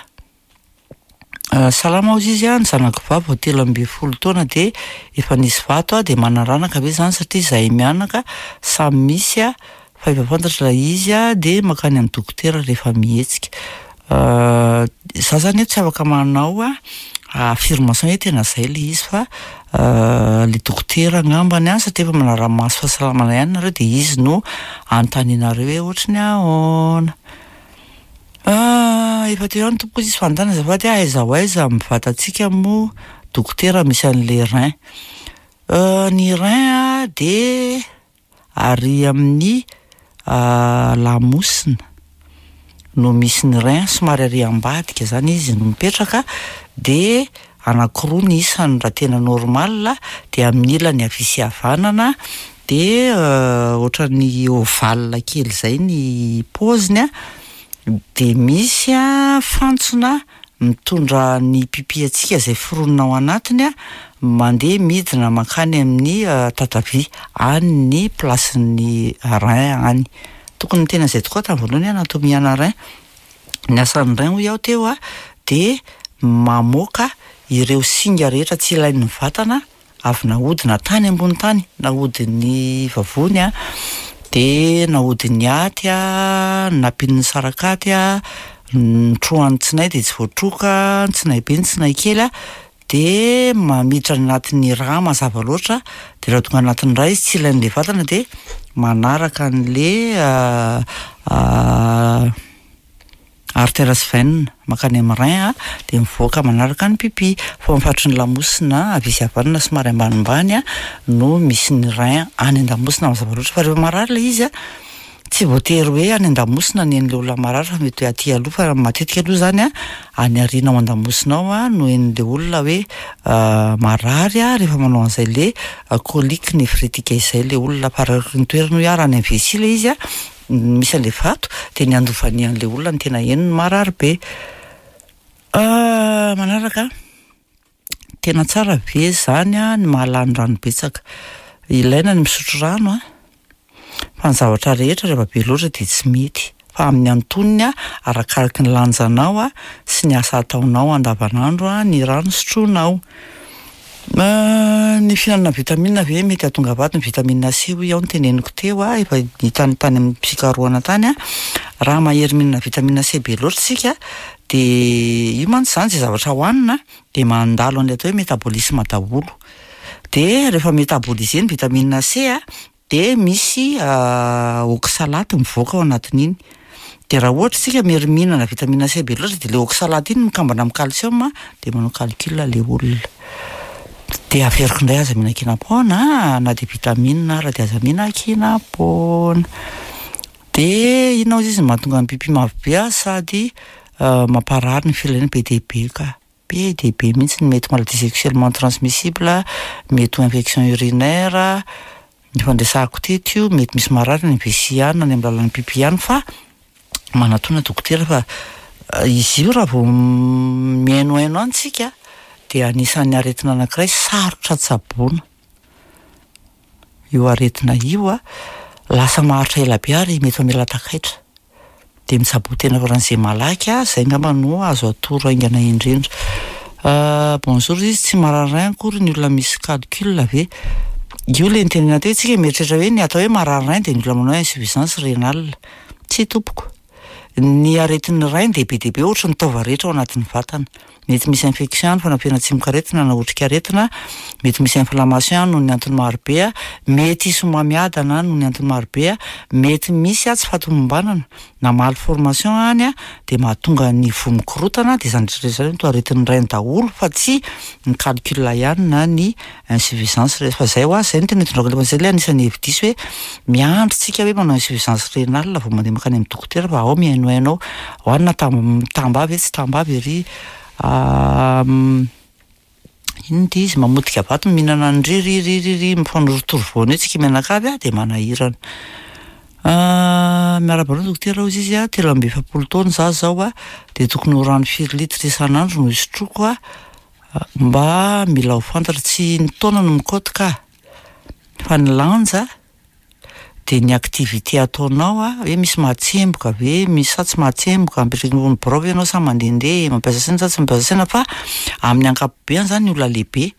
salama hozy izy a, ny zanako vavy vao telo amby folo taona de efa nisy vato a, de manaranaka ve zany satria zahay mianaka samy misy a, fa efa fantatra ilay izy a, de mankany amin'ny dokotera rehefa mihetsika. Za zany tsy afaka manao a affirmation hoe tena zay le izy, fa le dokotera angambany a, satria efa manara-maso fahasalamana ihany nareo de izy no anontanianareo hoe ohatry ny ahoana. Efa teo ihany tompoko izy fanontaniana azafady, aiza ho aiza amin'ny vatantsika moa dokotera misy an'le rein? Ny rein a de ary amin'ny lamosina no misy ny rein, somary ary ambadika zany izy no mipetraka, de anankiroa ny isany raha tena normal, de amin'ny ilany havia sy havanana, de ohatran'ny ovale kely zay ny paoziny a, de misy a fantsona mitondra ny pipi antsika zay foronina ao anatiny a, mandeha midina mankany amin'ny tatavia, any ny placen'ny rein any. Tokony niteny an'izay tokoa tamin'ny voalohany hoe anatomie ana rein. Ny asan'ny rein hoy aho teo a de mamoaka ireo singa rehetra tsy ilain'ny vatana avy nahodina tany ambony tany, nahodin'ny vavony a, de nahodin'ny aty a, nampian'ny sarakaty a, notrohan'ny tsinay de tsy voatroka, ny tsinay be ny tsinay kely a, de mamiditra any anatin'ny rà mazava loatra, de raha tonga anatin'ny rà izy tsy ilain'le vatana de manaraka an'le artère sy veine mankany amin'ny rein a, de mivoaka manaraka ny pipi, fa ao amin'ny faritry ny lamosina havia sy havanana somary ambanimbany a no misy ny rein any an-damosina mazava loatra, fa rehefa marary le izy a tsy voatery hoe any an-damosina ny an'le olona marary fa mety hoe aty aloha, fa matetika aloha zany a any aoriana ao an-damosina ao a no henon'le olona hoe marary a rehefa manao an'izay le colique néphrétique izay le olona, fa araky ny toerana hoy aho raha any amin'ny vessie le izy a misy an'le vato de ny andovanian'le olona no tena henony marary be. Manaraka, tena tsara ve zany a ny mahalany rano betsaka? Ilaina ny misotro rano a, fa ny zavatra rehetra rehefa be loatra de tsy mety, fa amin'ny antonony a arakaraky ny lanjanao a sy ny asa ataonao andavanandro a ny rano sotroinao. Ny fihinanana vitamine ve mety hahatonga vato? Ny vitamine C hoy aho no teneniko teo a, efa hitany tany amin'ny fikarohana tany a, raha mahery mihinana vitamine C be loatra isika de io mantsy zany zay zavatra hohanina de mandalo an'ilay atao hoe métabolisme daholo, de rehefa métaboliser ny vitamine C a de misy oxalate mivoaka ao anatin'iny, de raha ohatra isika mery mihinana vitamine C be loatra de le oxalate iny mikambana amin'ny calcium de manao calcul le olona. De averiko indray aza mihinan-kenam-poana na de vitamine ara de aza mihinan-kenam-poana. De inona hozy izy mahatonga ny pipi mavo be a sady mamparary ny filahiana be dia be ka, be dia be mihitsy, mety maladie sexuellement transmissible, mety ho infection urinaire, efa noresahako teto io, mety misy marary any amin'ny vessie any na any amin'ny lalan'ny pipi any fa manatona dokotera fa izy io raha vao mihainohaino any tsika de anisan'ny aretina anankiray sarotra tsaboina io aretina io a, lasa maharitra ela be ary mety mamela takaitra, de mitsaboa tena faran'izay malaky a, zay angamba no azo atoro haingana indrindra. Bonjour izy, tsy marary rein akory ny olona misy calcul ve? Io le nitenenana teo tsika mieritreritra hoe ny atao hoe marary rein de ny olona manao insuffisance rénale, tsy tompoko. Ny aretin'ny rein de be dia be ohatry ny taova rehetra ao anatin'ny vatana, mety misy infection any fanampiana tsimokaretina na otrikaretina, mety misy inflammation noho ny antony marobe a, mety hisy homamiadana noho ny antony marobe a, mety misy a tsy fahatomombanana na malformation any a de mahatonga ny voa mikorotana, de zany rehetrarehetra zany to aretin'ny rein daholo fa tsy ny calcul ihany na ny insuffisance, rehefa zay ho azy zay no tena itondrako zay le anisan'ny hevi-diso hoe miandry tsika hoe manao insuffisance rénale vao mandeha mankany amin'ny dokotera fa ao mihainohaino ao, hohanina tam- tambavy tsy tambavy ery inona ty izy mamotika vato mihinana an-dry ry ry ry ry mifanorotoro voana eo tsika mianakavy a de manahirana. Miarahaba anao dokotera hozy izy a, telo amby efapolo taona za zao a, de tokony ho rano firy litre isan'andro no isotroko a, mba mila ho fantatra, tsy ny taona no mikaoty ka, fa ny lanja de ny activité ataonao a, hoe misy mahatsemboka ve, misy sa tsy mahatsemboka, mipetraka eo amin'ny birao ve ianao sa mandehandeha, mampiasa saina sa tsy mampiasa saina, fa amin'ny ankapobeany zany ny olona lehibe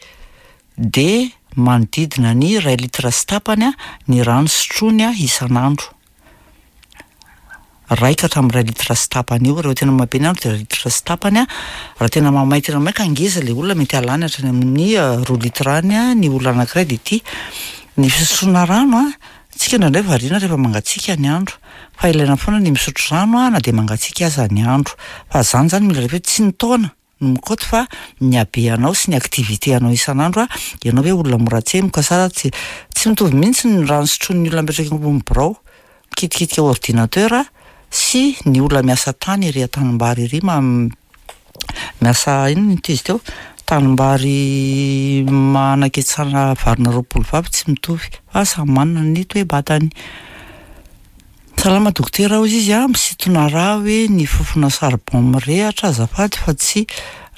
de manodidina ny iray litre sy tapany a ny rano sotroiny a isan'andro, ray ka hatramin'ny iray litre sy tapany eo, rehefa tena mabe ny andro de iray litre sy tapany a, raha tena mamay tena mamay ka ngeza le olona mety halany hatrany amin'ny roa litre any a ny olona anankiray. De ty ny fisotroana rano a, tsika indraindray variana rehefa mangatsiaka ny andro, fa ilaina foana ny misotro rano a na de mangatsiaka aza ny andro, fa zany zany mila rehefa hoe tsy ny taona no mikaoty fa ny habeanao sy ny activité anao isan'andro a, ianao hoe olona mora tsemboka sa tsy, tsy mitovy mihitsy ny rano sotroin'ny olona mipetraka eo ambony birao mikitikitika ordinateur sy ny olona miasa tany ery an-tanimbary ery ma- miasa inona ty izy teo Tanimbary manaketsana varina roapolo vavy tsy mitovy fa samy manana ny toe-batany. Salama dokotera hozy izy a, misintona rà hoe ny fofona charbon mirehitra azafady fa tsy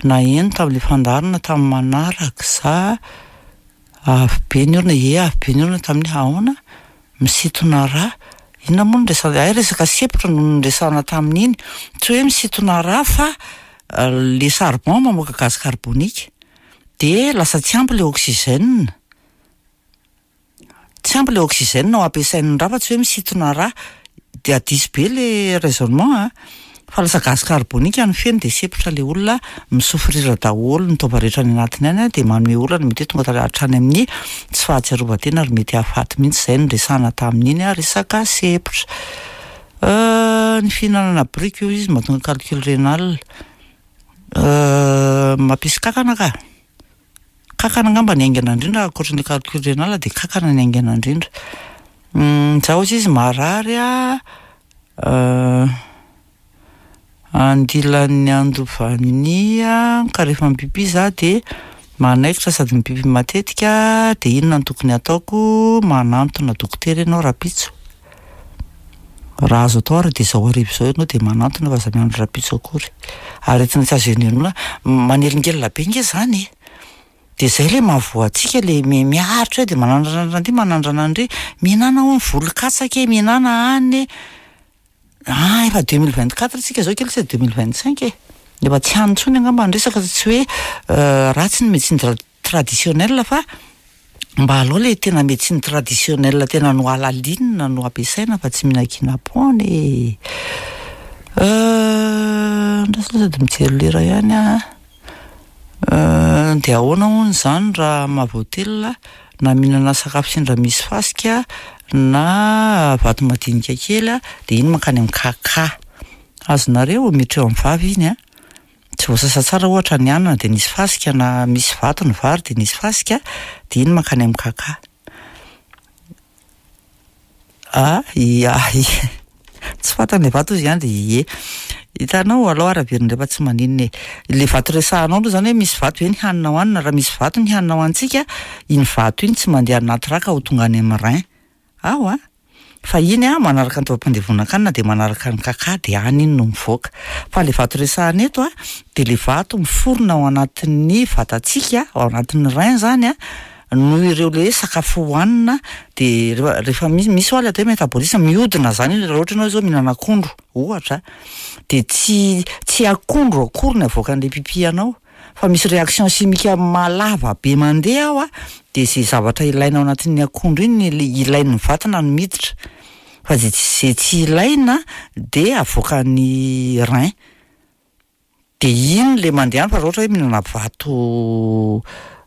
naheno tamin'le fandaharana tamin'ny manaraka za avy be ny orana, ie avy be ny orana tamin'ny ahoana? Misintona rà, inona moa no resa- hay resaka sempotra no noresahana tamin'iny, tsy hoe misintona rà fa le charbon mamoaka gaz carbonique de lasa tsy ampy le oxygène, tsy ampy le oxygène ho ampiasain'ny rà fa tsy hoe misintona rà, de diso be le raisonnement a, fa lasa gaz carbonique no feno de sempotra le olona, mi-souffrir daholo ny taova rehetra any anatiny any a, de manome olana mety hoe tonga ta- hatrany amin'ny tsy fahatsiarovan-tena ary mety hahafaty mihitsy, zay no resahana tamin'iny a, resaka sempotra. Ny fihinanana biriky hoy izy mahatonga calcul rénal, mampisy kankana ka, kankana angamba ny haingana indrindra ankoatran'le calcul rénal de kankana ny haingana indrindra. Zaho hozy izy marary a andilan'ny andovania ka rehefa mipipy za de manaikitra sady mipipy matetika de inona no tokony ataoko? Manantona dokotera ianao rahampitso, raha azo atao ary de zao hariva zao ianao de manantona fa aza miandry rahampitso akory. Aretina tsy azo enoenoana, manelingelina be nge zany e, de zay le mahavoa antsika le mi- miaritra eo de manandranandrana an'ty manandrana an'ry, mihinàna hono volon-katsaka e, mihinàna anona e, ah efa deux mille vingt quatre tsika zao kely tsy deux mille vingt cinq e, efa tsy any intsony angamba ny resaka fa tsy hoe ratsy ny médecine tra- traditionnelle fa mba aleo le tena médecine traditionnelle tena nohalalinina no ampiasaina fa tsy mihinan-kinam-poana e. Andraso aloha sady mijery lera ihany aho a, de ahoana hono zany raha mahavoatelina na mihinana sakafo sendra misy fasika na vato madinika kely a de iny mankany am'kakà, azonareo? Miditra eo am'vava iny a, tsy voasasa tsara ohatra ny anana de nisy fasika na misy vato ny vary de nisy fasika de iny mankany am'kakà. Ah, ia tsy fantany le vato hozy i Andry, ie, hitanao alao ary averina indray fa tsy maninona e, le vato resahanao aloha zany hoe misy vato ve ny hanina hohanina, raha misy vato ny hanina hohanintsika, iny vato iny tsy mandeha anaty rà ka ho tonga any amin'ny rein, ao a, fa iny a manaraka ny taovam-pandevonan-kanina de manaraka ny kakà de any iny no mivoaka, fa le vato resahana eto a de le vato miforona ao anatin'ny vatantsika, ao anatin'ny rein zany a, noho ireo le hoe sakafo hohanina de rehefa rehefa misy misy hoa le atao hoe métabolisme mihodina zany iny raha ohatra ianao zao mihinana akondro ohatra de tsy tsy akondro akory ny avoakan'le pipi anao fa misy réaction chimique malava be mandeha ao a, de zay zavatra ilaina ao anatin'ny akondro iny le ilain'ny vatana no miditra fa zay tsy zay tsy ilaina de avoakan'ny rein, de iny le mandeha any fa raha ohatra hoe mihinana vato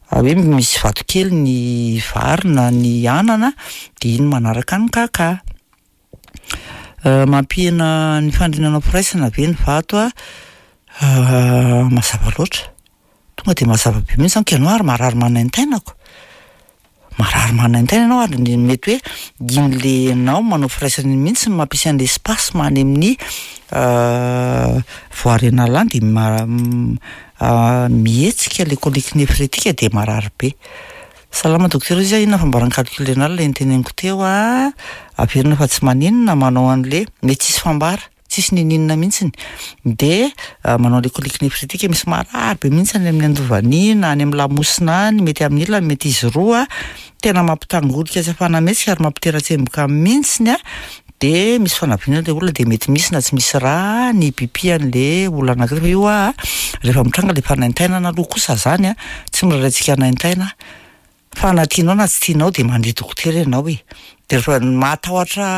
hoe misy vato kely ny vary na ny anana de iny manaraka ny kakà. Mampihena ny faniriana hanao firaisana ve ny vato a? Mazava loatra, tonga de mazava be mihitsy zany ka ianao ary marary manaintaina ko, marary manaintaina ianao ary ny mety hoe iny le ianao manao firaisana iny mihitsy no mampisy an'le spasme any amin'ny voie rénale any de ma- mihetsika le colique néphrétique de marary be. Salama dokotera hozy aho, inona fambaran'ny calcul rénal le noteneniko teo a? Averina fa tsy maninona manao an'le mety tsisy fambara, tsisy n'inon'inona mihitsiny, de manao an'le colique néphrétique misy marary be mihitsy any amin'ny andovania any am'lamosina any, mety amin'ny ilany mety izy roa, tena mampitangorika tsy ahafahana mihetsika ary mampitera-tsemboka mihitsiny a, de misy fanaviana le olona de mety misy na tsy misy rà ny pipi an'le olona anankiray fa io a rehefa mitranga le fanaintainana aloha kosa zany a tsy miraharaha antsika hanaintaina fa na tianao na tsy tianao de mandeha dokotera ianao e, de rehefa mahatahotra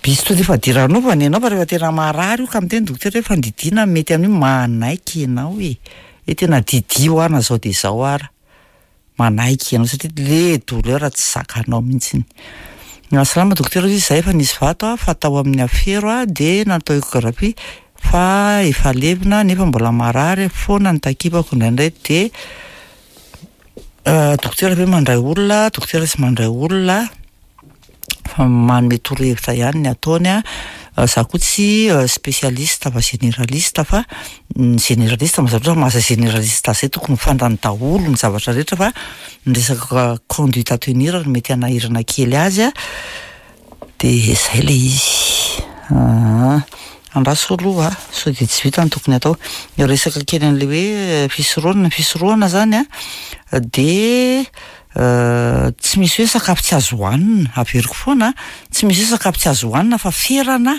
bistouri fadiranovana ianao fa rehefa tena marary io ka miteny dokotera hoe fandidiana no mety amin'io, manaiky ianao e, hoe tena didio aho na zao de zao ara, manaiky ianao satria le douleur tsy zakanao mihitsiny. Salama dokotera hozy izy zahay efa nisy vato a fa tao amin'ny afero a de natao échographie fa efa levona nefa mbola marary foana ny takipako indraindray de dokotera ve mandray olona? Dokotera tsy mandray olona fa manome torohevitra ihany ny ataony a, Za koa tsy spécialiste fa généraliste, fa ny généraliste mazava loatra, maha généraliste azy zay tokony ho fantany daholo ny zavatra rehetra, fa ny resaka conduite à tenir no mety hanahirana kely azy a, de zay le izy. Aa andraso aloha sao de tsy vita ny tokony atao. Resaka kely an'le hoe fisorohana, ny fisorohana zany a de tsy misy hoe sakafo tsy azo hohanina, averiko foana, tsy misy hoe sakafo tsy azo hohanina fa ferana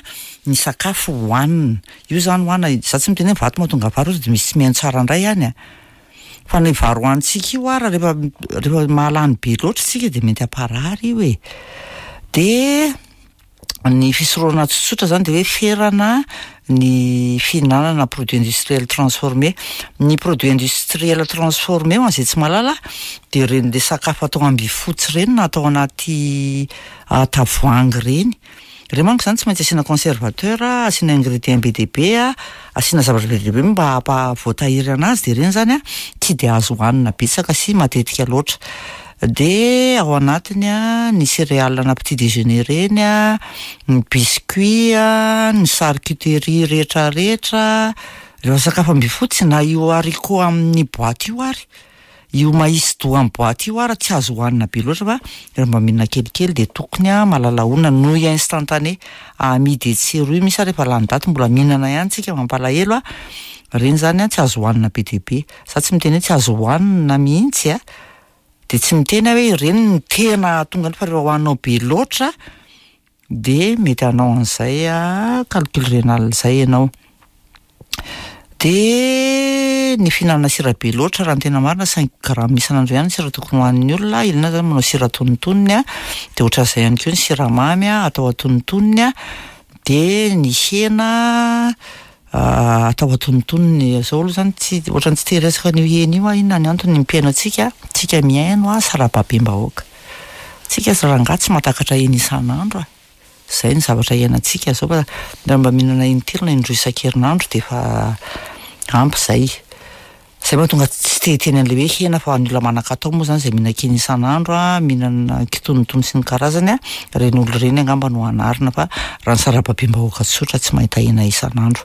ny sakafo hohanina io zany hoana. Za tsy miteny hoe vato mahatonga vary de misy tsy mihaino tsara indray ihany a, fa ny vary hohanintsika io ara rehefa rehefa mahalany be loatra tsika de mety hamparary io e. De ny fisorohana tsotsotra zany de hoe ferana ny fihinanana produit industriel transformé. Ny produit industriel transformé, ho an'izay tsy mahalala, de reny le sakafo atao ambifotsy reny na atao anaty tavoahangy reny. Reny manko zany tsy maintsy asiana conservateur, asiana ingrédient be dia be a, asiana zavatra be dia be mba hampahavoatahiry anazy, de reny zany a tsy de azo hohanina betsaka sy matetika loatra. De ao anatiny a ny céréales na petit déjeuner reny a, ny biscuit a, ny charcuterie rehetrarehetra, rehefa sakafo ambifotsy na io haricot amin'ny boaty io ary, io maïs doux amin'ny boaty io ary tsy azo hohanina be loatra fa rehefa mba mihinana kelikely de tokony a mahalala honona. Nouilles instantanées amidy etsy sy eroa, misy ary efa lany daty mbola mihinana ihany tsika, mampalahelo a, reny zany a tsy azo hohanina be dia be. Za tsy miteny hoe tsy azo hohanina mihitsy a, de tsy miteny aho hoe ireny no tena tonga fa rehefa hohaninao be loatra de mety hanao an'izay a calcul rénal zay ianao. De ny fihinanana sira be loatra, raha ny tena marina cinq grammes isan'andro ihany ny sira tokony hohanin'ny olona, ilaina zany manao sira antonontonony a, de ohatran'izay ihany koa ny siramamy a atao antonontonony a, de ny hena atao antonontonony. Zao aloha zany tsy ohatran'ny tsy te hiresaka an'io hena io aho, inona ny antony? Ny mpihaino antsika, tsika mihaino a sarababem-bahoaka, tsika rangahy tsy mahatakatra hena isan'andro a, zay ny zavatra iainantsika zao, fa raha mba mihinana intelo na indroa isan-kerinandro de efa ampy zay. Zay mahatonga tsy te hiteny an'le hoe hena, fa ny olona manan-katao moa zany zay mihinan-kena isan'andro a, mihinana kitonotono sy ny karazany a, reny olona reny angamba no anarina, fa raha ny sarababem-bahoaka tsotra tsy mahita hena isan'andro.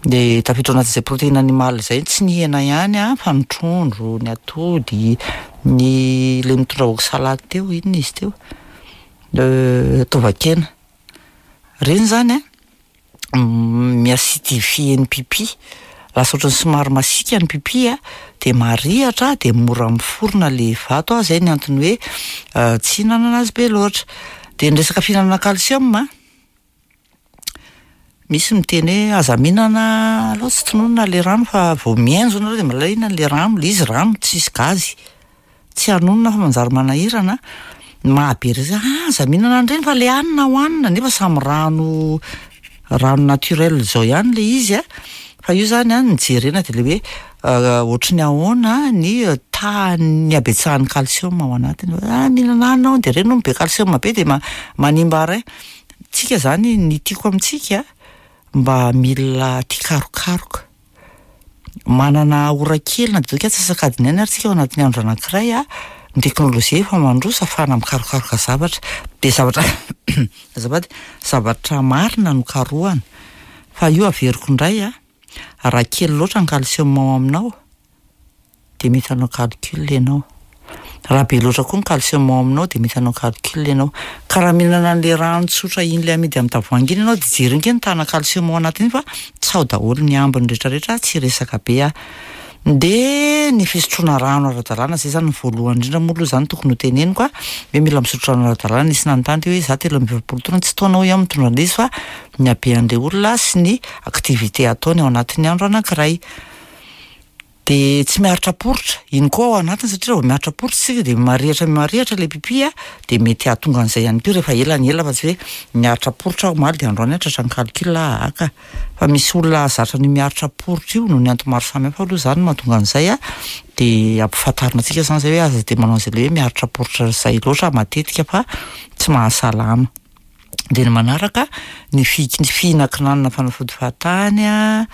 De tafiditra ao anatin'izay protéine animale zay tsy ny hena ihany a, fa ny trondro, ny atody, ny le mitondra oxalate teo, inona izy teo, tovakena reny zany a mi-acidifie ny pipi, lasa ohatran'ny somary masiaka ny pipi a, de marihatra de mora miforona le vato a, zay ny antony hoe tsy hihinanana azy be loatra. De ny resaka fihinanana calcium a, misy miteny hoe aza mihinana aloha tsy tononina le rano, fa vao mihaino zao nareo de mahalala inona le rano, le izy rano tsisy gazy, tsy hanonona fa manjary manahirana, mahabe resaka ah aza mihinana an'ireny fa le hanina hohanina, nefa samy rano rano naturel zao ihany le izy a, fa io zany a ny jerena de le hoe ohatry ny ahoana ny tahan'ny habetsahan'ny calcium ao anatiny, ah mihinana hanina aho de reny hono be calcium be de ma- manimba rein. Tsika zany ny tiako amintsika mba mila tia karokaroka, manana ora kely na de hoe antsasak'adiny ihany ary tsika ao anatin'ny andro anankiray a, ny teknôlôjia efa mandroso ahafahana mikarokaroka zavatra, de zavatra azafady, zavatra marina no karohana, fa io averiko indray a, raha kely loatra ny calcium ao aminao de mety hanao calcul ianao, raha be loatra koa ny calcium ao aminao de mety hanao calcul ianao, ka raha mihinana an'le rano tsotra iny le amidy amin'ny tavoahangy iny ianao de jereo ange ny tahana calcium ao anatiny iny fa tsy ao daholo ny ambiny rehetrarehetra, tsy resaka be aho. De ny fisotroana rano ara-dalàna zay zany ny voalohany indrindra moa aloha zany tokony ho teneniko a, hoe mila misotro rano ara-dalàna. Nisy nanontany teo hoe za telo amby efapolo taona, tsy taona hoy aho mitondra an'ilay izy fa ny habean'le olona sy ny activité ataony ao anatin'ny andro anankiray. De tsy miaritra poritra, iny koa ao anatiny satria raha vao miaritra poritra isika de marihatra marihatra le pipi a, de mety hahatonga an'izay ihany koa rehefa ela ny ela, fa tsy hoe miaritra poritra aho omaly de androany aho tratran'ny calcul aka, fa misy olona zatra ny miaritra poritra io noho ny antony maro samihafa aloha zany mahatonga an'izay a, de ampifantarina antsika zany zay hoe aza de manao an'izay le hoe miaritra poritra zay loatra matetika fa tsy mahasalama. De ny manaraka ny fi- ny fihinankinanana fanafody fahatany a,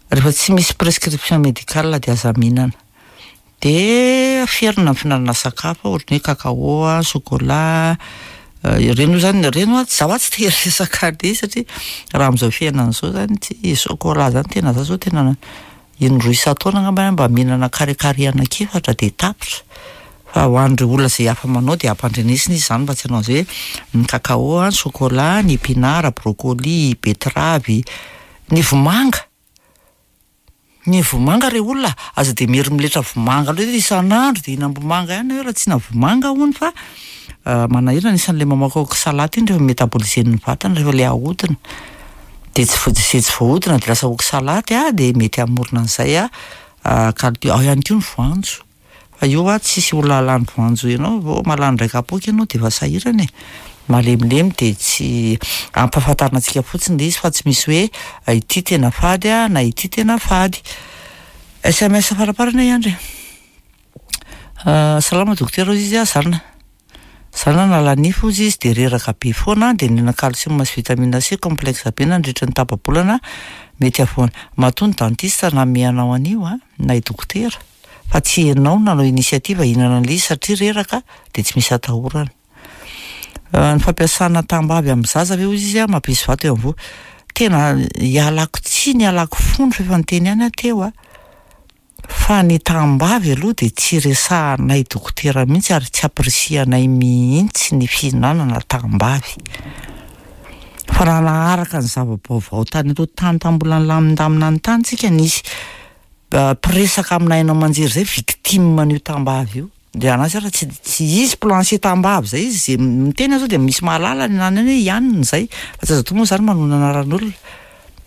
rehefa tsy misy prescription médicale de aza mihinana. De ferina ny fihinanana sakafo ohatran'ny hoe cacao a, chocolat, Ireny moa zany, ireny hoa, zaho hoa tsy te hiresaka an'le satria raha amin'izao fiainana izao zany, tsy chocolat zany tena, za zao tena indroa isan-taona angamba mba mihinana carré carré anankiefatra de tapitra. Fa ho an'ireo olona izay hafa manao de ampandrenesina izy zany mba tsy hanao an'izay hoe ny cacao, ny chocolat, ny épinard, brocoli, betterave, ny vomanga. Ny vomanga re olona, aza de mieritreritra vomanga loatra isan'andro de hihinam-bomanga ihany hoe raha tsy hihina vomanga hono fa manahirana. Anisan'le mamoaka oxalate iny rehefa métaboliser-n'ny vatana, rehefa le ahodina de tsy vo- zay tsy voahodina de lasa oxalate a, de mety hamorona an'izay a calcul. Ao ihany koa ny voanjo, fa io a tsisy olona halany voanjo ianao, vao mahalany indray kapoaka ianao de efa sahirana e, malemilemy. De tsy ampahafantarina antsika fotsiny le izy fa tsy misy hoe ity tena fady a na ity tena fady. S M S faraparany ihany re. Salama dokotera, hoy izy a, zana zana nala nify hozy izy de reraka be foana, de nihinana calcium sy vitamine C complexe be nandritra ny tapa-bolana, mety avoana. Matoa ny dentiste nanome anao an'io a, na i dokotera, fa tsy ianao nanao initiative hihinana an'le izy satria reraka, de tsy misy atahorana. Ny fampiasana tambavy amin'ny zaza ve, hoy izy a, mampisy vato eo amin'ny voa? Tena ialako tsiny, ialako fondro fa efa niteny ihany aho teo a, fa ny tambavy aloha de tsy resahanay dokotera mihitsy ary tsy ampirisihanay mihitsy ny fihinanana tambavy. Fa raha naharaka ny zava-baovao tany aloha tany, tany mbola nilamindamina ny tany tsika, nisy mpiresaka amina haino aman-jery zay victime an'io tambavy io, de anazy ara tsy tsy izy plancher tambavy zay izy, zay miteny aho zao de misy mahalala ny anany hoe ihanina zay, fa tsy azo atao moa zany manona anaran'olona,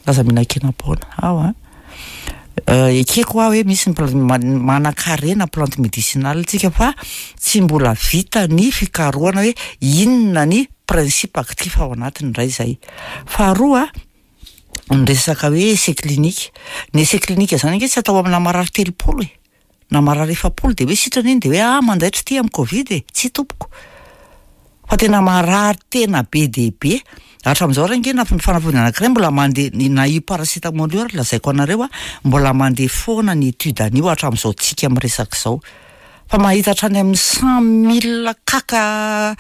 aza mihinan-kena-poana ao a. Ekeko aho hoe misy ny pla- manan-karena plante médicinale tsika, fa tsy mbola vita ny fikarohana hoe inona ny principe actif ao anatiny indray zay. Faharoa, ny resaka hoe essai clinique, ny essai clinique zany ange tsy atao amina marary telopolo e na marary efapolo de hoe sitrana iny, de hoe ah, mandaitra ty amin'ny Covid e. Tsy tompoko, fa tena marary tena be de be hatramin'izao raha nge na ny fanafody anankiray mbola mandeha, na io paracétamol io ary lazaiko anareo a, mbola mandeha foana ny étude an'io hatramin'izao tsika miresaka izao, fa mahita hatrany amin'ny cent mille kaka,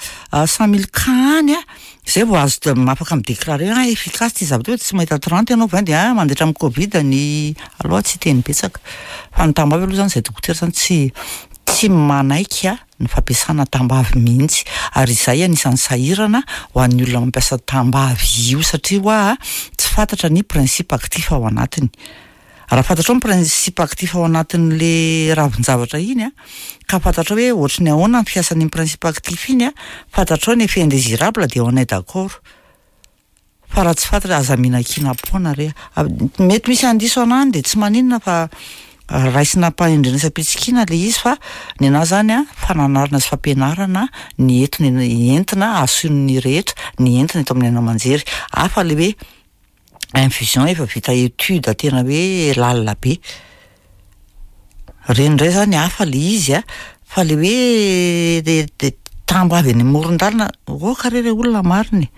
cent mille cas any a zay vao azo afaka midéclarer ah, efficace ty zavatra io. Tsy mahita trente ianao vingt de ah, mandaitra amin'ny Covid ny. Aloha tsy teny betsaka, fa ny tambavy aloha zany, zay dokotera zany tsy tsy manaiky a ny fampiasana tambavy mihitsy, ary izay anisan'ny sahirana ho an'ny olona mampiasa tambavy io, satria hoa tsy fantatra ny principe actif ao anatiny. Raha fantatrao ny principe actif ao anatin'le ravin-javatra iny a, ka fantatrao hoe ohatry ny ahoana ny fiasan'iny principe actif iny a, fantatrao ny effet indésirable, de on est d'accord. Fa raha tsy fantatra, aza mihinan-kena-poana re. Mety misy andiso anany de tsy maninona, fa raisina am-pahendrena sy am-pitsikiana le izy. Fa ny anahy zany a, fananarana sy fampianarana ny entiny entina ason'ny rehetra, ny entina eto amin'ny haino aman-jery, hafa le hoe infusion efa vita étude tena hoe lalina be reny indray zany, hafa le izy a. Fa le hoe de de tambavy any amoron-dalana oka re re olona mariny,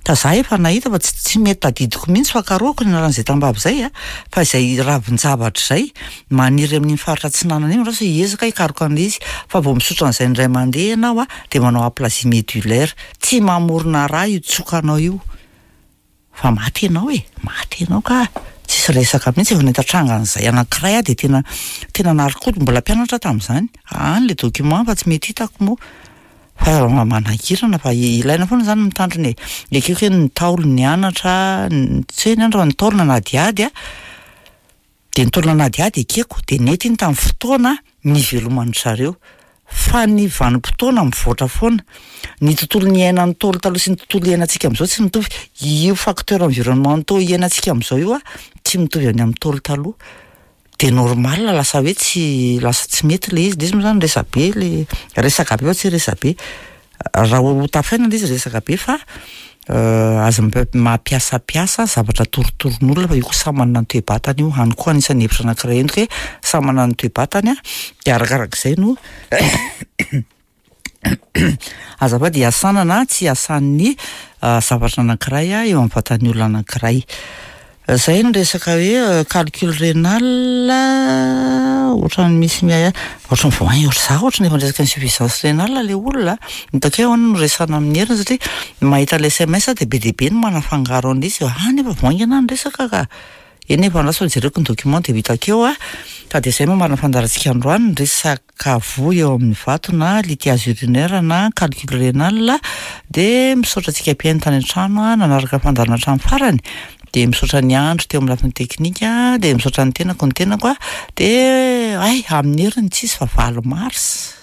ka za efa nahita fa tsy tsy mety tadidiko mihitsy fa karohiko ny anaran'izay tambavy zay a, fa izay ravin-javatra zay maniry amin'iny faritra atsinanana iny, raha hiezaka hikaroka an'le izy, fa vao misotro an'izay indray mandeha ianao a, de manao aplasie médullaire, tsy mamorona raha io tsokanao io fa maty ianao e, maty ianao ka tsisy resaka mihitsy. Efa nahita trangan'izay anankiray a, de tena tena narikody, mbola mpianatra tamin'izany any le document fa tsy mety hitako moa, fa manahirana, fa ilaina foana zany mitandrina e. Ekeko hoe ny Ntaolo nianatra, tsy hoe nianatra fa ny Ntaolo nanadiady a, de ny Ntaolo nanadiady ekeko, de nety iny tamin'ny fotoana niveloman-dry zareo, fa ny vanim-potoana mivoatra foana, ny tontolo niainan'ny Ntaolo taloha sy ny tontolo iainantsika amin'izao tsy mitovy. Io facteur environnementaux iainantsika amin'izao io a tsy mitovy any amin'ny Ntaolo taloha, de normal lasa hoe tsy lasa tsy mety le izy. Le izy moa zany resabe, le resaka be fa tsy resabe raha ho tafaina le izy, resaka be, fa aza mampiasapiasa zavatra torotoroin'olona, fa io koa samy manana ny toe-batany io any koa, anisan'ny hevitra anankiray entiko hoe samy manana ny toe-batany a, de arakarak'izay no azafady iasana na tsy iasan'ny zavatra anankiray a eo amin'ny vatan'ny olona anankiray. Zay ny resaka hoe calcul rénal. Ohatran'ny misy miahiahy, ohatran'ny vao haingana ohatry za, ohatran'ny efa niresaka insuffisance rénale le olona. Hitako hoe ahoana no resahana amin'ny heriny, satria mahita le S M S de be dia be ny manafangaro an'izy ah, nefa vao haingana ny resaka ka. Eny, efa andraso fa jereko ny document de ho hitako eo a. Ka de zay mamarana fandaharantsika androany, ny resaka voa eo amin'ny vato na lithiase urinaire na calcul rénal. De misaotra antsika mpihaino tany an-trano a nanaraka fandaharana hatramin'ny farany, de misaotra ny andro teo amin'ny lafiny teknika, de misaotra ny tenako ny tenako a de ay, amin'ny heriny tsisy fa valo mars,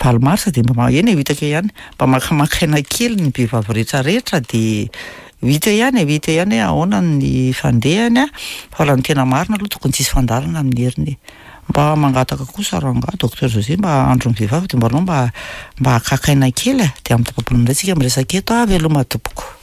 valo mars de mba eny e, ho hitako eo ihany, mba makamaka aina kely ny vehivavy rehetrarehetra, de ho hita eo ihany e, ho hita eo ihany hoe ahoana ny fandehany a. Fa raha ny tena marina aloha, tokony tsisy fandaharana amin'ny heriny e. Mba mangataka kosa rangahy docteur José, mba andro ny vehivavy de mba anao mba mba hakaka aina kely a. De amin'ny tapa-bolana indray tsika miresaka eto a. Veloma tompoko.